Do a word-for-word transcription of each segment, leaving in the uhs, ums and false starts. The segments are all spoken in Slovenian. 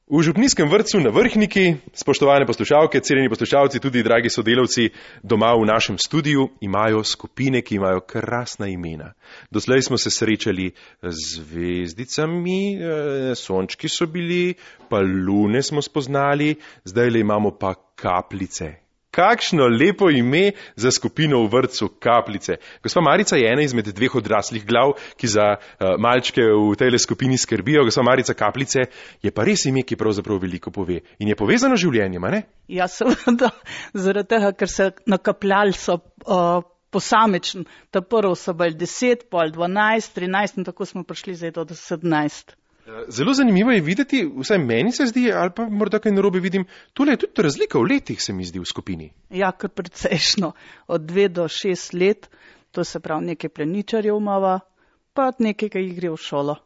V župnijskem vrtcu na Vrhniki, spoštovane poslušalke, cenjeni poslušalci, tudi dragi sodelavci doma v našem studiu, imajo skupine, ki imajo krasna imena. Doslej smo se srečali z zvezdicami, sončki so bili, pa lune smo spoznali, zdajle imamo pa kapljice. Kakšno lepo ime za skupino v vrtcu Kapljice. Gospa Marica je ena izmed dveh odraslih glav, ki za uh, malčke v tejle skupini skrbijo. Gospa Marica, Kapljice je pa res ime, ki pravzaprav veliko pove. In je povezano z življenjem, a ne? Ja, seveda, zaradi tega, ker se nakapljali so uh, posamečen. Ta prvo so bili deset, pol dvanajst, trinajst in tako smo prišli zdaj do sedemnajst. Zelo zanimivo je videti, vsaj meni se zdi, ali pa morda kaj narobe vidim, tole je tudi razlika v letih, se mi zdi, v skupini. Ja, kar precejšno. Od dve do šest let, to se pravi nekaj pleničarjev imava, pa nekaj, ki jih gre v šolo.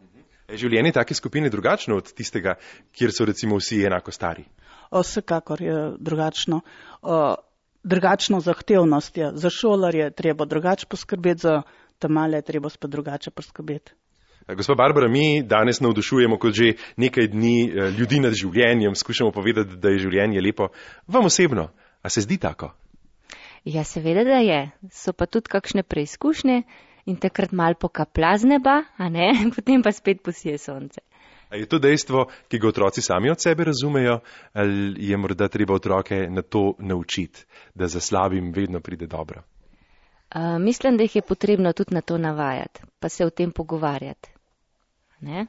Je življenje take skupine drugačno od tistega, kjer so recimo vsi enako stari? O, vsekakor je drugačno. O, drugačno zahtevnost je. Za šolarje treba drugače poskrbeti, za te male je treba spet drugače poskrbeti. Gospa Barbara, mi danes navdušujemo kot že nekaj dni ljudi nad življenjem, skušamo povedati, da je življenje lepo. Vam osebno, a se zdi tako? Ja, seveda, da je. So pa tudi kakšne preizkušnje in takrat mal pokapla z neba, a ne, potem pa spet posije sonce. A je to dejstvo, ki ga otroci sami od sebe razumejo, ali je morda treba otroke na to naučiti, da za slabim vedno pride dobro? Uh, mislim, da jih je potrebno tudi na to navajati, pa se o tem pogovarjati. Ne?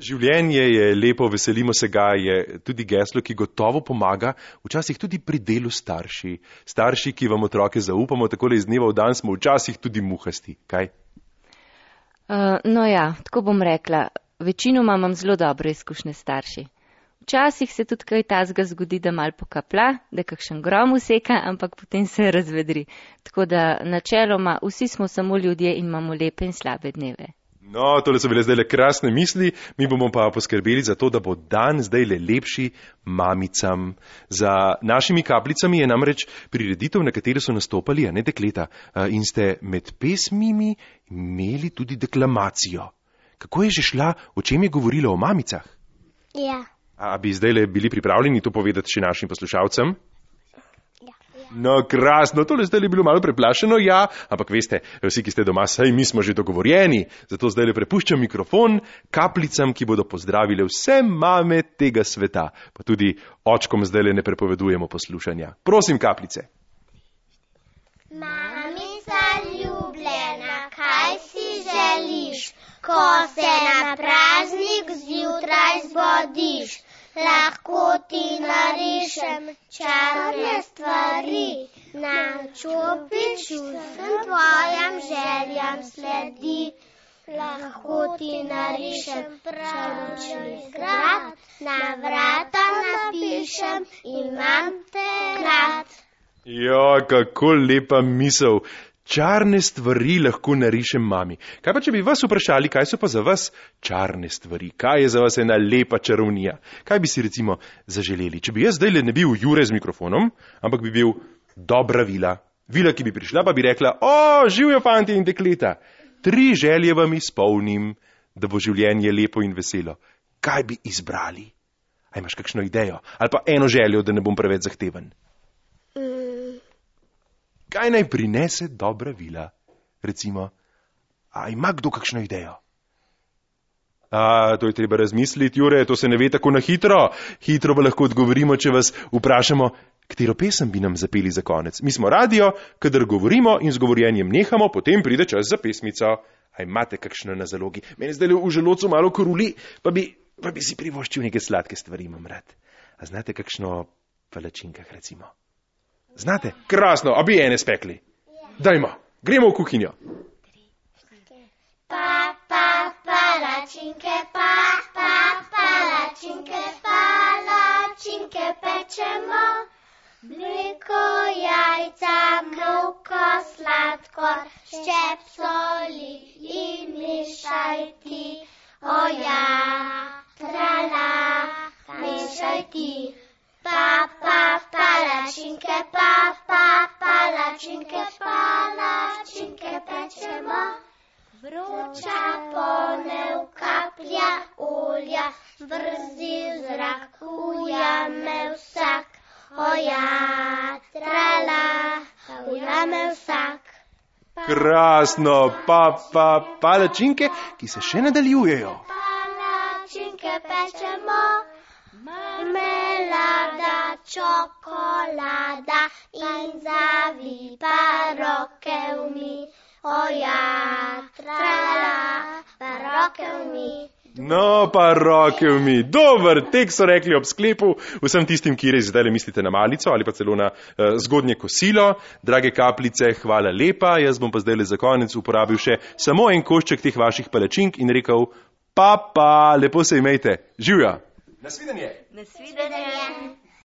Življenje je lepo, veselimo se ga, je tudi geslo, ki gotovo pomaga, včasih tudi pri delu starši. Starši, ki vam otroke zaupamo, takole iz dneva v dan smo včasih tudi muhasti, kaj? Uh, no ja, tako bom rekla, večinoma imam zelo dobre izkušnje starši. Včasih se tudi kaj tazga zgodi, da mal pokapla, da kakšen grom useka, ampak potem se razvedri. Tako da načeloma vsi smo samo ljudje in imamo lepe in slabe dneve. No, tole so bile zdaj le krasne misli, mi bomo pa poskrbeli za to, da bo dan zdaj le lepši mamicam. Za našimi kapljicami je namreč prireditev, na kateri so nastopali, a ne dekleta, in ste med pesmimi imeli tudi deklamacijo. Kako je že šla, o čem je govorila o mamicah? Ja. A bi zdaj le bili pripravljeni to povedati še našim poslušalcem? No, krasno, tole zdaj je bilo malo preplašeno, ja, ampak veste, vsi, ki ste doma, saj mi smo že dogovorjeni, zato zdaj le prepuščam mikrofon kapljicam, ki bodo pozdravile vse mame tega sveta, pa tudi očkom zdaj le ne prepovedujemo poslušanja. Prosim, kapljice. Mamica ljubljena, kaj si želiš, ko se na praznik zjutraj zbodiš? Lahko ti narišem čarne stvari, na čopič vsem tvojim željam sledi. Lahko ti narišem čaročni grad, na vrata napišem, imam te rad. Ja, kako lepa misel. Čarne stvari lahko narišem mami. Kaj pa, če bi vas vprašali, kaj so pa za vas čarne stvari? Kaj je za vas ena lepa čarovnija? Kaj bi si recimo zaželeli? Če bi jaz zdaj le ne bil Jure z mikrofonom, ampak bi bil dobra vila. Vila, ki bi prišla, pa bi rekla, o, živijo fanti in dekleta. Tri želje vam izpolnim, da bo življenje lepo in veselo. Kaj bi izbrali? A imaš kakšno idejo? Ali pa eno željo, da ne bom preveč zahteven? Kaj naj prinese dobra vila? Recimo, a ima kdo kakšno idejo? A, to je treba razmisliti, Jure, to se ne ve tako na hitro. Hitro pa lahko odgovorimo, če vas vprašamo, katero pesem bi nam zapeli za konec. Mi smo radio, kadar govorimo in z govorjenjem nehamo, potem pride čas za pesmico. A imate kakšno na zalogi? Meni zdaj v želodcu malo koruli, pa bi, pa bi si privoščil neke sladke stvari, imam rad. A znate kakšno palačinkah, recimo? Znate? Krasno, a bi ene spekli? Dajmo, gremo v kuhinjo. Pa, pa, palačinke, pa, pa, palačinke, palačinke pečemo. Mleko, jajca, moko, sladkor, ščep soli in mešaj ti. O ja, trala, mešaj ti. Pa, pa, palačinke, pa, pa, palačinke, palačinke pečemo. Vroča ponev kaplja olja, vrzi v zrak, vzame vsak. Krasno, pa, pa, palačinke, ki se še nadaljujejo. Palačinke pečemo, marmelada, čokolada in zavipa roke v mi. Oja, trala, pa roke v mi. No, pa roke v mi. Dober tek, so rekli ob sklepu vsem tistim, ki res zdaj mislite na malico ali pa celo na uh, zgodnje kosilo. Drage kapljice, hvala lepa. Jaz bom pa zdaj za konec uporabil še samo en košček teh vaših palačink in rekel, pa, pa, lepo se imejte. Živja. Nasvidenje. Nasvidenje.